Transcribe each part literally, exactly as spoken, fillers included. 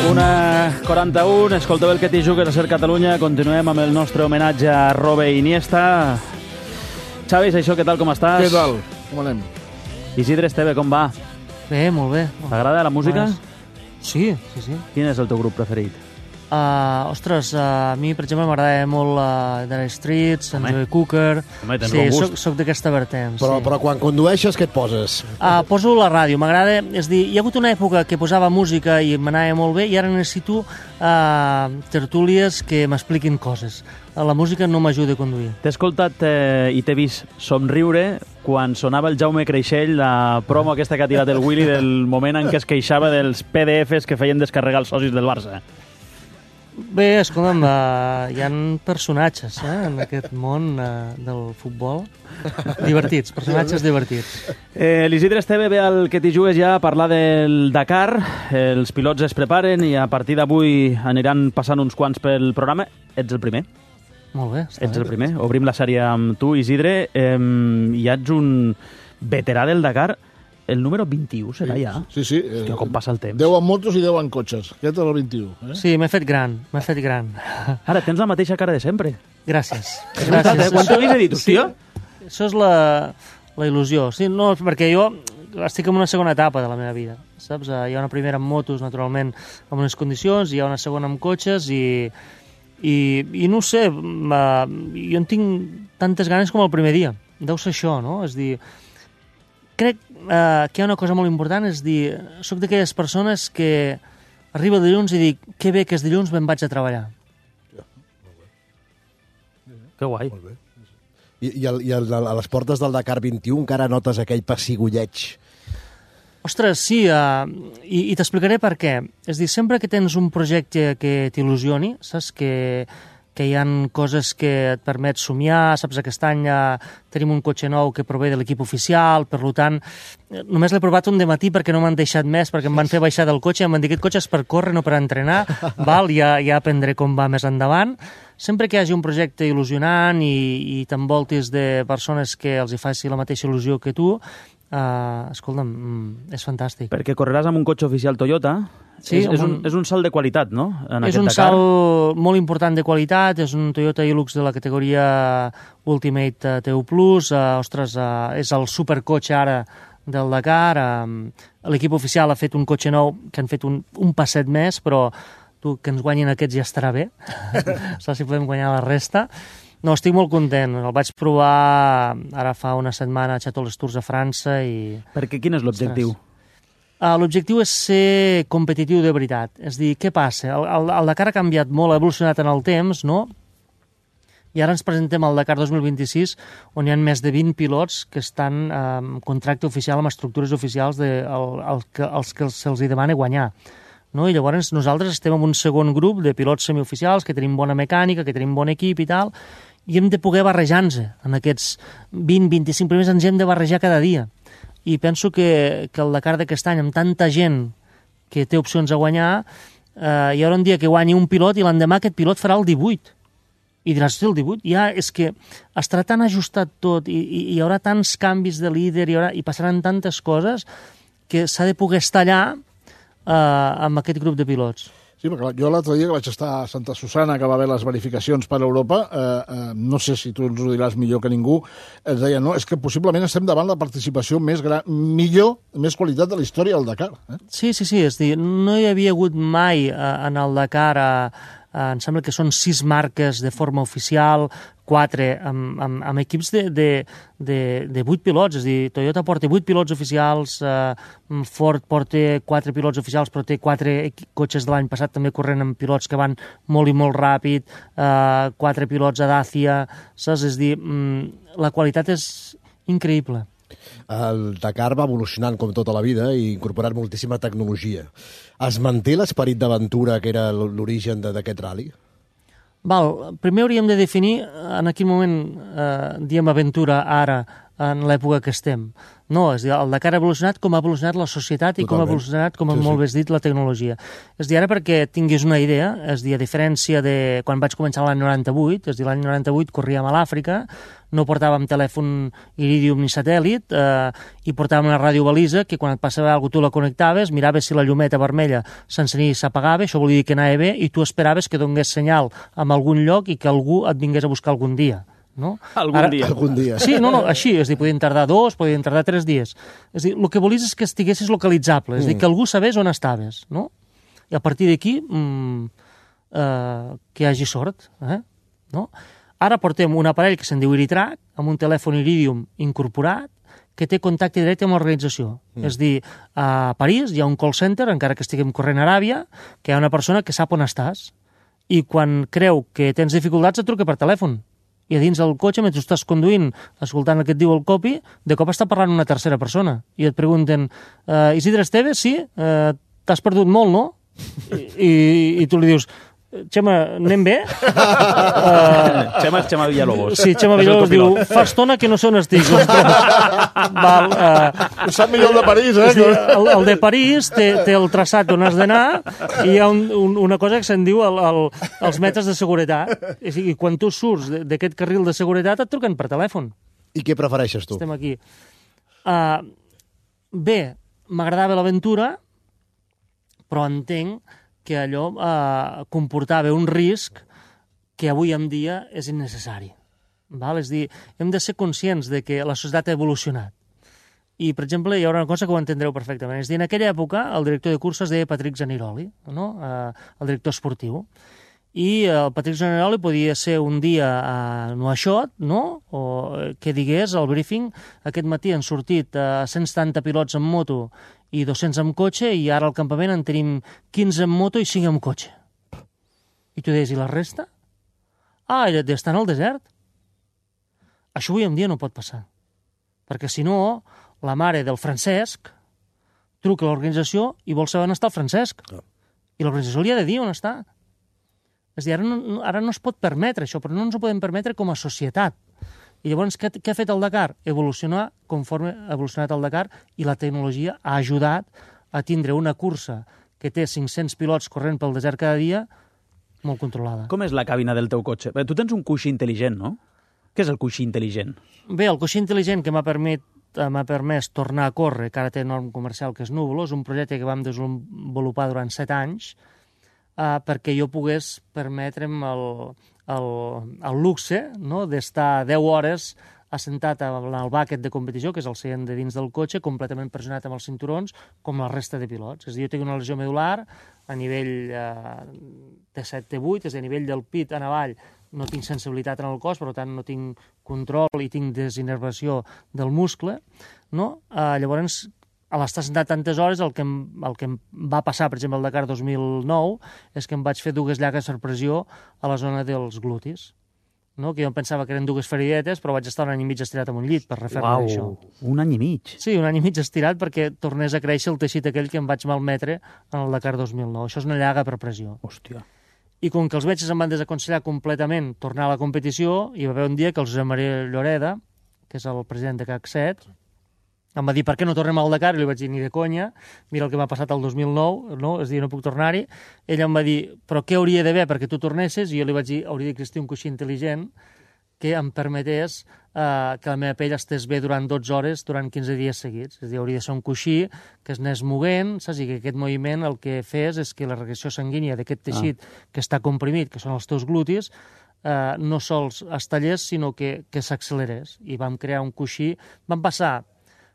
una quaranta-u, escolteu el que t'hi jugues a Ser Catalunya. Continuem amb el nostre homenatge a Robe i Iniesta. Xavi, això, què tal, com estàs? Què tal? Com anem? Isidre Esteve, com va? Bé, molt bé. T'agrada la música? Sí, sí, sí. Quin és el teu grup preferit? Uh, ostres, uh, a mi, per exemple, m'agrada molt uh, Dire Straits, en Joe Cooker. Home, tens sí, bon gust. soc, soc d'aquesta vertent. Però, sí. però quan condueixes, què et poses? Uh, poso la ràdio, m'agrada... És dir, hi ha hagut una època que posava música i m'anava molt bé i ara necessito uh, tertúlies que m'expliquin coses. La música no m'ajuda a conduir. T'he escoltat eh, i t'he vist somriure quan sonava el Jaume Creixell, la promo aquesta que ha tirat el Willy del moment en què es queixava dels P D Fs que feien descarregar els socis del Barça. Bé, escolta'm, uh, hi ha personatges eh, en aquest món uh, del futbol. Divertits, personatges divertits. Eh, L'Isidre Esteve ve al que t'hi jugues ja a parlar del Dakar. Els pilots es preparen i a partir d'avui aniran passant uns quants pel programa. Ets el primer. Molt bé. Ets el primer. Obrim la sèrie amb tu, Isidre. Eh, ja ets un veterà del Dakar. El número vint-i-u serà ja? Sí, sí. Hòstia, com passa el temps. deu en motos i deu en cotxes. Aquest és el vint-i-u. Eh? Sí, m'he fet gran, m'he fet gran. Ara, tens la mateixa cara de sempre. Gràcies. Gràcies. Eh? Quan t'ho havies dit, hòstia? Sí, això és la, la il·lusió. Sí, no, perquè jo estic en una segona etapa de la meva vida, saps? Hi ha una primera amb motos, naturalment, amb unes condicions, hi ha una segona amb cotxes i, i, i no ho sé, jo en tinc tantes ganes com el primer dia. Deu ser això, no? És dir, crec Uh, que hi ha una cosa molt important, és dir, soc d'aquelles persones que arriba el dilluns i dic, que bé que és dilluns, me'n vaig a treballar. Ja, molt bé. Que guai. Molt bé. I, i, el, i el, a les portes del Dakar vint-i-u encara notes aquell pessigolleig? Ostres, sí, uh, i, i t'explicaré per què. És dir, sempre que tens un projecte que t'il·lusioni, saps que... que hi ha coses que et permet somiar, saps, aquest any ja tenim un cotxe nou que prové de l'equip oficial, per tant, només l'he provat un dematí perquè no m'han deixat més, perquè em van fer baixar del cotxe i em van dir, aquest cotxe és per córrer, no per entrenar, val? Ja, ja aprendré com va més endavant. Sempre que hi hagi un projecte il·lusionant i, i t'envoltis de persones que els hi faci la mateixa il·lusió que tu, uh, escolta'm, és fantàstic. Perquè correràs amb un cotxe oficial Toyota. Sí, és, és, un, és un salt de qualitat, no? En és aquest un Dakar. salt molt important de qualitat, és un Toyota Hilux de la categoria Ultimate T U plus, uh, ostres, uh, és el supercotxe ara del Dakar, uh, l'equip oficial ha fet un cotxe nou que han fet un, un passet més, però tu, que ens guanyin aquests ja estarà bé, saps si podem guanyar la resta. No, estic molt content, el vaig provar ara fa una setmana a Château Tours a França i... Perquè quin és l'objectiu? Uh, L'objectiu és ser competitiu de veritat. És dir, què passa? El, el, el Dakar ha canviat molt, ha evolucionat en el temps, no? I ara ens presentem al Dakar dos mil vint-i-sis, on hi ha més de vint pilots que estan amb contracte oficial amb estructures oficials de, el, el, que, els que se'ls demana guanyar. No? I llavors nosaltres estem en un segon grup de pilots semioficials que tenim bona mecànica, que tenim bon equip i tal, i hem de poder barrejar-nos en aquests vint a vint-i-cinc primers, ens hem de barrejar cada dia. I penso que, que el Dakar d'aquest any, amb tanta gent que té opcions a guanyar, eh, hi haurà un dia que guanyi un pilot i l'endemà aquest pilot farà el divuit. I diràs, el divuit? Ja és que estarà tan ajustat tot i, i hi haurà tants canvis de líder i, haurà, i passaran tantes coses que s'ha de poder estar allà eh, amb aquest grup de pilots. Sí, perquè jo l'altre dia que vaig estar a Santa Susana, que va haver les verificacions per Europa, eh, eh, no sé si tu ens ho diràs millor que ningú, ens deia, no, és que possiblement estem davant la participació més gran, millor, més qualitat de la història del Dakar. Eh? Sí, sí, sí, és dir, no hi havia hagut mai eh, en el Dakar, eh, eh, em sembla que són sis marques de forma oficial, quatre amb, amb, amb equips de, de, de, de vuit pilots, és a dir, Toyota porta vuit pilots oficials, eh, Ford porta quatre pilots oficials, però té quatre cotxes de l'any passat també corrent amb pilots que van molt i molt ràpid, eh, quatre pilots a Dacia, saps? És a dir, mm, la qualitat és increïble. El Dakar va evolucionant com tota la vida i incorporant moltíssima tecnologia. Es manté l'esperit d'aventura que era l'origen d'aquest rally? Val, primer hauríem de definir, en aquell moment eh, diem aventura, ara en l'època que estem. No, és a dir, el Dakar ha evolucionat com ha evolucionat la societat i Totalment. com ha evolucionat, com sí, molt sí. bé dit, la tecnologia. És a dir, ara perquè tinguis una idea, és a dir, a diferència de quan vaig començar l'any noranta-vuit, és a dir, l'any noranta-vuit corríem a l'Àfrica, no portàvem telèfon Iridium ni satèl·lit, eh, i portàvem una radiobalisa que quan et passava alguna cosa tu la connectaves, miraves si la llumeta vermella s'encenia i s'apagava, això volia dir que anava bé, i tu esperaves que donés senyal en algun lloc i que algú et vingués a buscar algun dia. No? Algun Ara, dia. Algun dia. Sí, no, no, així, és a dir, podien tardar dos, podien tardar tres dies. És a dir, el que volies és que estiguessis localitzable, és a dir, que algú sabés on estaves, no? I a partir d'aquí, mmm, eh, que hi hagi sort, eh? No? Ara portem un aparell que se'n diu Iritrack, amb un telèfon Iridium incorporat, que té contacte directe amb l'organització. Mm. És a dir, a París hi ha un call center, encara que estiguem corrent a Aràbia, que hi ha una persona que sap on estàs, i quan creu que tens dificultats et truca per telèfon. I a dins del cotxe, mentre estàs conduint, escoltant el que et diu el copi, de cop està parlant una tercera persona. I et pregunten, uh, Isidre Esteves, sí? Uh, T'has perdut molt, no? I, i, i tu li dius, Xema, anem bé? Uh, Xema, Xema Villalobos. Sí, Xema Villalobos diu, fa estona que no sé on estic. Val, uh, Ho sap millor el de París, eh? Sí, el, el de París té, té el traçat on has d'anar i hi ha un, un, una cosa que se'n diu el, el, els metres de seguretat. I, i quan tu surts d'aquest carril de seguretat et truquen per telèfon. I què prefereixes tu? Estem aquí. Uh, bé, m'agradava l'aventura, però entenc que allò eh, comportava un risc que avui en dia és innecessari. Val? És a dir, hem de ser conscients de que la societat ha evolucionat. I, per exemple, hi haurà una cosa que ho entendreu perfectament. És a dir, en aquella època, el director de cursa es deia Patrick Zaniroli, no? eh, el director esportiu. I el Patrick Zaniroli podia ser un dia a Nouakchott, no? O que digués al briefing, aquest matí han sortit eh, cent setanta pilots en moto i dos-cents amb cotxe, i ara al campament en tenim quinze en moto i cinc amb cotxe. I tu deies, i la resta? Ah, estan al desert. Això avui en dia no pot passar. Perquè si no, la mare del Francesc truca a l'organització i vol saber on està el Francesc. I l'organització li ha de dir on està. És a dir, ara no, ara no es pot permetre això, però no ens ho podem permetre com a societat. I llavors, què, què ha fet el Dakar? Evolucionar conforme ha evolucionat el Dakar, i la tecnologia ha ajudat a tindre una cursa que té cinc-cents pilots corrent pel desert cada dia molt controlada. Com és la cabina del teu cotxe? Tu tens un coixí intel·ligent, no? Què és el coixí intel·ligent? Bé, el coixí intel·ligent que m'ha permès, m'ha permès tornar a córrer, que ara té norm comercial, que és Núvolo, és un projecte que vam desenvolupar durant set anys, Uh, perquè jo pogués permetre'm el, el, el luxe, no?, d'estar deu hores assentat en el bàquet de competició, que és el seient de dins del cotxe, completament pressionat amb els cinturons, com la resta de pilots. És a dir, jo tinc una lesió medular a nivell uh, T set T vuit, és a dir, a nivell del pit en avall, no tinc sensibilitat en el cos, per tant no tinc control i tinc desinnervació del muscle, no? Uh, llavors, a l'estar sentat tantes hores, el que, em, el que em va passar, per exemple, al Dakar dos mil nou, és que em vaig fer dues llagues per pressió a la zona dels glutis. No? Que jo em pensava que eren dues feridetes, però vaig estar un any i mig estirat en un llit per refer-me això. Un any i mig? Sí, un any i mig estirat perquè tornés a créixer el teixit aquell que em vaig malmetre en el Dakar dos mil nou. Això és una llaga per pressió. Hòstia. I com que els metges em van desaconsellar completament tornar a la competició, hi va haver un dia que el Josep Maria Lloreda, que és el president de C A C set, em va dir, per què no tornem al Dakar? I li vaig dir, ni de conya, mira el que m'ha passat el dos mil nou, no? És a dir, no puc tornar-hi. Ell em va dir, però què hauria d'haver perquè tu tornessis? I jo li vaig dir, hauria d'existir un coixí intel·ligent que em permetés eh, que la meva pell estés bé durant dotze hores, durant quinze dies seguits. És a dir, hauria de ser un coixí que es anés moguent, saps? I que aquest moviment el que fes és que la regressió sanguínia d'aquest teixit ah. que està comprimit, que són els teus glutis, eh, no sols es tallés, sinó que, que s'accelerés. I vam crear un coixí, vam passar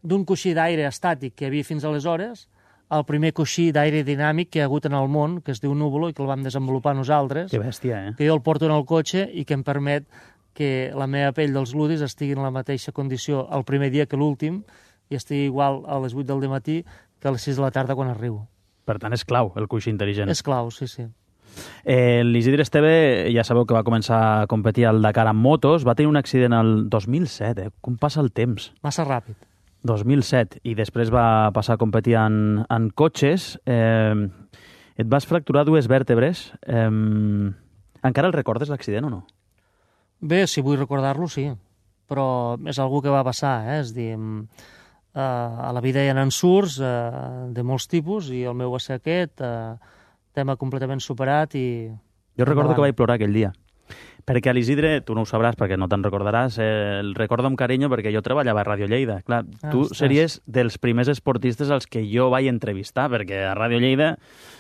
d'un coixí d'aire estàtic que hi havia fins aleshores al primer coixí d'aire dinàmic que hi ha hagut en el món, que es diu Núvolo, i que el vam desenvolupar nosaltres. Que bèstia, eh? Que jo el porto en el cotxe i que em permet que la meva pell dels gludis estigui en la mateixa condició el primer dia que l'últim i estigui igual a les vuit del matí que a les sis de la tarda quan arribo. Per tant, és clau, el coixí intel·ligent. És clau, sí, sí. Eh, L'Isidre Esteve, ja sabeu que va començar a competir al Dakar amb motos, va tenir un accident el dos mil set, eh? Com passa el temps? Massa ràpid. dos mil set, i després va passar a competir en, en cotxes. Eh, et vas fracturar dues vèrtebres. Eh, encara el recordes, l'accident, o no? Bé, si vull recordar-lo, sí. però és algú que va passar, eh? És dir, eh, a la vida hi ha ensurts eh, de molts tipus i el meu va ser aquest, eh, tema completament superat i... Jo recordo endavant. que vaig plorar aquell dia. Perquè a l'Isidre, tu no ho sabràs perquè no te'n recordaràs, eh, el recordo amb carinyo perquè jo treballava a Ràdio Lleida. Clar, Ah, tu ostres. series dels primers esportistes als que jo vaig entrevistar, perquè a Ràdio Lleida,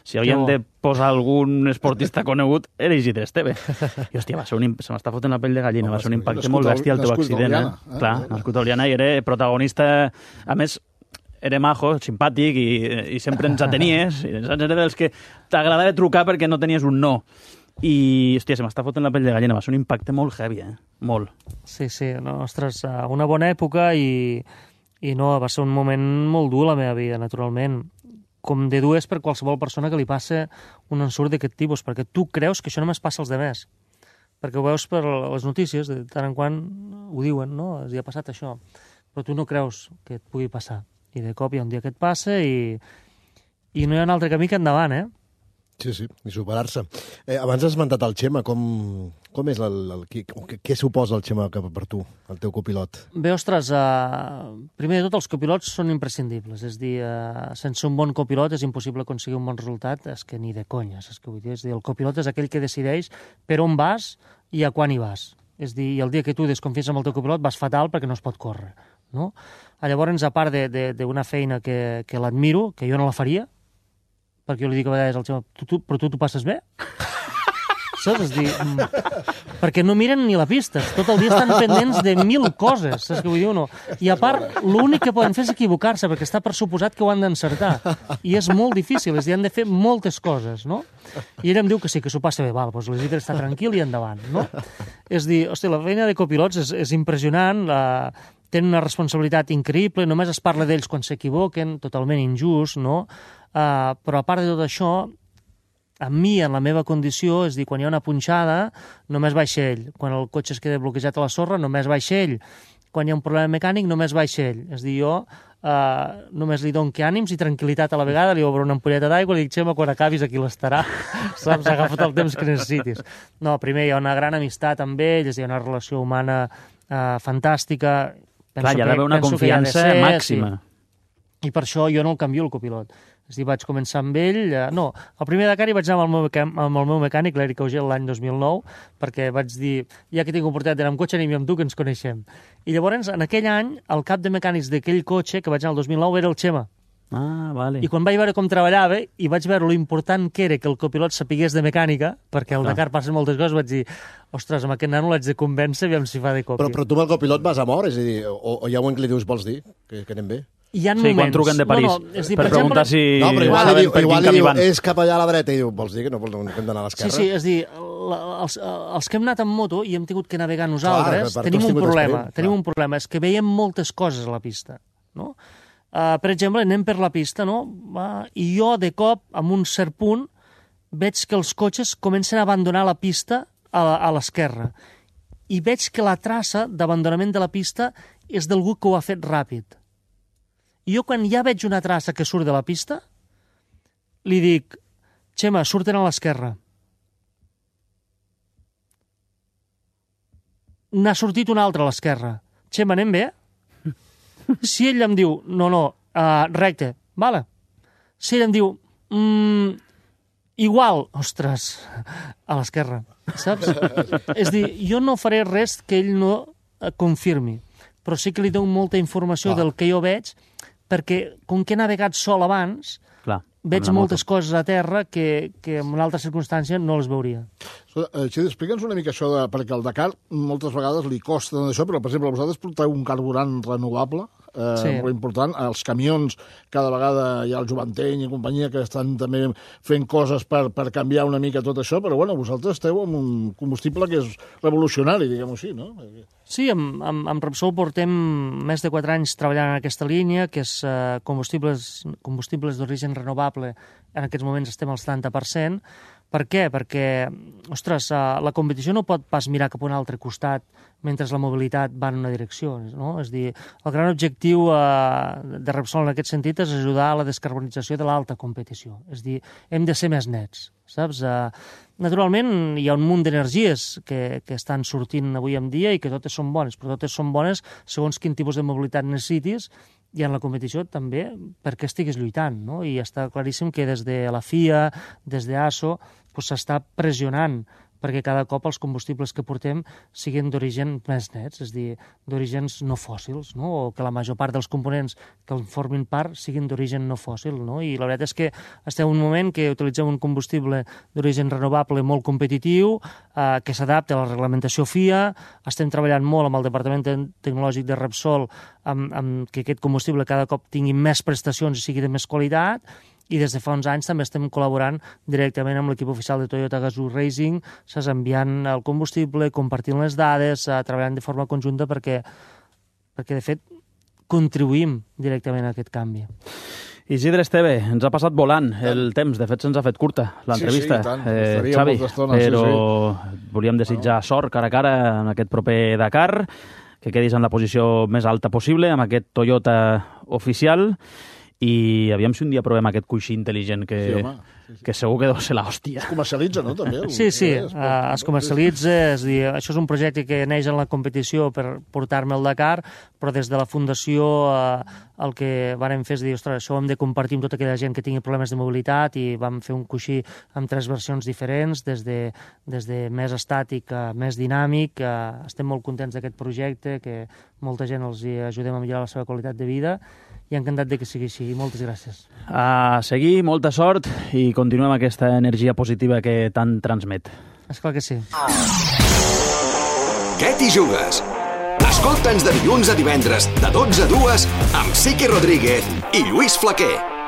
si havíem bo. de posar algun esportista conegut, era Isidre Esteve. I, hòstia, va ser un, imp- se m'està fotent la pell de gallina, Home, va ser un sí, impacte nascut molt a- bèstia el teu nascut a accident. Oliana, Eh? eh? Clar, nascut a Oliana i era protagonista, a més, era majo, simpàtic i, i sempre ens atenies. I saps? Era dels que t'agradava trucar perquè no tenies un no. I, hòstia, se m'està fotent la pell de gallina. Va ser un impacte molt heavy, eh? Molt. Sí, sí, no, ostres, eh, una bona època i, i no, va ser un moment molt dur a la meva vida, naturalment. Com de dur és per qualsevol persona que li passe un ensurt d'aquest tipus, perquè tu creus que això només passa als demés. Perquè ho veus per les notícies, de tant en quant ho diuen, no? Els hi ha passat això. Però tu no creus que et pugui passar. I de cop hi ha un dia que et passa i, i no hi ha un altre camí que endavant, eh? Sí, sí, i superar-se. Eh, abans has esmentat el Xema, com, com és el, el, què, què suposa el Xema per, per tu, el teu copilot? Bé, ostres, uh, primer de tot els copilots són imprescindibles, és dir, uh, sense un bon copilot és impossible aconseguir un bon resultat, és que ni de conya, saps què vull dir? És dir, el copilot és aquell que decideix per on vas i a quan hi vas. És dir, i el dia que tu desconfies amb el teu copilot vas fatal perquè no es pot córrer, no? Llavors, a part d'una feina que, que l'admiro, que jo no la faria, perquè jo li dic a vegades al Xema, tu, tu, però tu t'ho passes bé? Saps? És dir, mm, perquè no miren ni la pista, tot el dia estan pendents de mil coses, saps què vull dir o no? I a part, l'únic que poden fer és equivocar-se, perquè està per suposat que ho han d'encertar. I és molt difícil, és dir, han de fer moltes coses, no? I ell em diu que sí, que s'ho passa bé, val, doncs l'Isidre està tranquil i endavant, no? És dir, hòstia, la feina de copilots és, és impressionant, la... tenen una responsabilitat increïble, només es parla d'ells quan s'equivoquen, totalment injust, no? Uh, però a part de tot això, a mi, en la meva condició, és dir, quan hi ha una punxada, només baixa ell. Quan el cotxe es queda bloquejat a la sorra, només baixa ell. Quan hi ha un problema mecànic, només baixa ell. És dir, jo uh, només li dono que ànims i tranquil·litat a la vegada, li obro una ampolleta d'aigua i li dic, Xema, quan acabis aquí l'estarà. Saps? Agafa't el temps que necessitis. No, primer hi ha una gran amistat amb ell, hi ha una relació humana uh, fantàstica. Penso Clar, hi ha d'haver una penso que hi ha de confiança ser, màxima. Sí. I per això jo no el canvio el copilot. És dir, vaig començar amb ell... Eh, no, el primer Dakar hi vaig anar amb el meu, amb el meu mecànic, l'Eric Augel, l'any dos mil nou, perquè vaig dir, ja que tinc oportunitat d'anar amb cotxe, anem amb tu, que ens coneixem. I llavors, en aquell any, el cap de mecànics d'aquell cotxe, que vaig anar el dos mil nou, era el Xema. Ah, vale. I quan vaig veure com treballava i vaig veure lo important que era que el copilot sapigués de mecànica, perquè al Ah. Dakar passen moltes coses, vaig dir, ostres, amb aquest nano l'haig de convèncer, aviam si fa de còpia. Però, però tu amb el copilot vas a mort, és a dir, o, o hi ha un que li dius, vols dir, que, que anem bé? Hi ha Sí, moments... quan truquen de París, no, no, és dir, per, per preguntar exemple, si No, però igual li saben diu, per igual quin li camí diu van. és cap allà a la dreta, i diu, vols dir que no, no hem d'anar a l'esquerra? Sí, sí, és dir, la, els, els que hem anat amb moto i hem tingut que navegar nosaltres, per- per tenim tots un tingut problema, experiència, tenim clar. un problema, és que veiem moltes coses a la pista, no? Uh, per exemple, anem per la pista, no? Uh, I jo, de cop, en un cert punt, veig que els cotxes comencen a abandonar la pista a, la- a l'esquerra. I veig que la traça d'abandonament de la pista és d'algú que ho ha fet ràpid. I jo, quan ja veig una traça que surt de la pista, li dic, Xema, surten a l'esquerra. N'ha sortit un altre a l'esquerra. Xema, anem bé? Si ell em diu, no, no, uh, recte, vale. Si ell em diu, mm, igual, ostres, a l'esquerra, saps? És dir, jo no faré res que ell no eh, confirmi, però sí que li dono molta informació Clar. del que jo veig, perquè com que he navegat sol abans, Clar, veig amb la moltes moto. coses a terra que, que en una altra circumstància no les veuria. Xidi, explica'ns una mica això, de, perquè el Dakar moltes vegades li costa això, però, per exemple, vosaltres porteu un carburant renovable, eh, Sí. molt important. Els camions, cada vegada hi ha el Joventeny i companyia que estan també fent coses per, per canviar una mica tot això, però, bueno, vosaltres esteu amb un combustible que és revolucionari, diguem-ho així, no? Sí, amb, amb, amb Repsol portem més de quatre anys treballant en aquesta línia, que és eh, combustibles, combustibles d'origen renovable. En aquests moments estem al setanta per cent. Per què? Perquè, ostres, eh, la competició no pot pas mirar cap a un altre costat mentre la mobilitat va en una direcció, no? És dir, el gran objectiu eh, de Repsol en aquest sentit és ajudar a la descarbonització de l'alta competició. És dir, hem de ser més nets. saps? Uh, naturalment, hi ha un munt d'energies que, que estan sortint avui en dia i que totes són bones, però totes són bones segons quin tipus de mobilitat necessitis i en la competició també perquè estiguis lluitant, no? I està claríssim que des de la F I A, des d'ASO, pues, s'està pressionant perquè cada cop els combustibles que portem siguin d'origen més nets, és a dir, d'orígens no fòssils, no? O que la major part dels components que en formin part siguin d'origen no fòssil, no? I la veritat és que estem en un moment que utilitzem un combustible d'origen renovable molt competitiu, eh, que s'adapta a la reglamentació F I A, estem treballant molt amb el Departament Tecnològic de Repsol amb, amb que aquest combustible cada cop tingui més prestacions i sigui de més qualitat, i des de fa uns anys també estem col·laborant directament amb l'equip oficial de Toyota Gazoo Racing, saps, enviant el combustible, compartint les dades, eh, treballant de forma conjunta perquè, perquè, de fet, contribuïm directament a aquest canvi. Isidre Esteve, ens ha passat volant el temps, de fet se'ns ha fet curta l'entrevista. Sí, sí, i tant. Eh, Xavi, però sí, sí. volíem desitjar sort cara a cara en aquest proper Dakar, que quedis en la posició més alta possible amb aquest Toyota oficial. I aviam si un dia provem aquest coixí intel·ligent que, sí, home, sí, sí. que segur que deu ser l'hòstia. Es comercialitza, no, també? Sí, sí, es, uh, es comercialitza, és dir, això és un projecte que neix en la competició per portar-me al Dakar, però des de la fundació uh, el que vàrem fer és dir, ostres, això ho hem de compartir amb tota aquella gent que tingui problemes de mobilitat i vam fer un coixí amb tres versions diferents, des de, des de més estàtic a més dinàmic. Uh, estem molt contents d'aquest projecte, que molta gent els hi ajudem a millorar la seva qualitat de vida, i encantat de que sigui així. Moltes gràcies. A seguir, molta sort i continuem aquesta energia positiva que tant transmet. Esclar que sí. Què t'hi jugues? Escolta'ns de dilluns a divendres, de dotze a dues, amb Siqui Rodríguez i Lluís Flaquer.